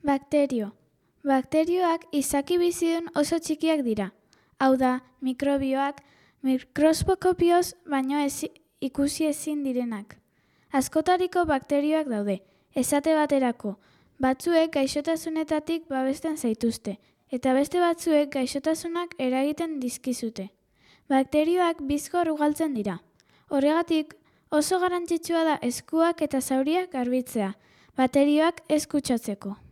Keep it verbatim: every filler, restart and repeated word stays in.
Bakterio. Bakterioak izaki bizidun oso txikiak dira. Hau da, mikrobioak mikroskopioz baino ezi, ikusi ezin direnak. Askotariko bakterioak daude, esate baterako, batzuek gaixotasunetatik babesten zaituzte, eta beste batzuek gaixotasunak eragiten dizkizute. Bakterioak bizkor ugaltzen dira. Horregatik, oso garrantzitsua da eskuak eta zauriak garbitzea, bakterioak ez kutsatzeko.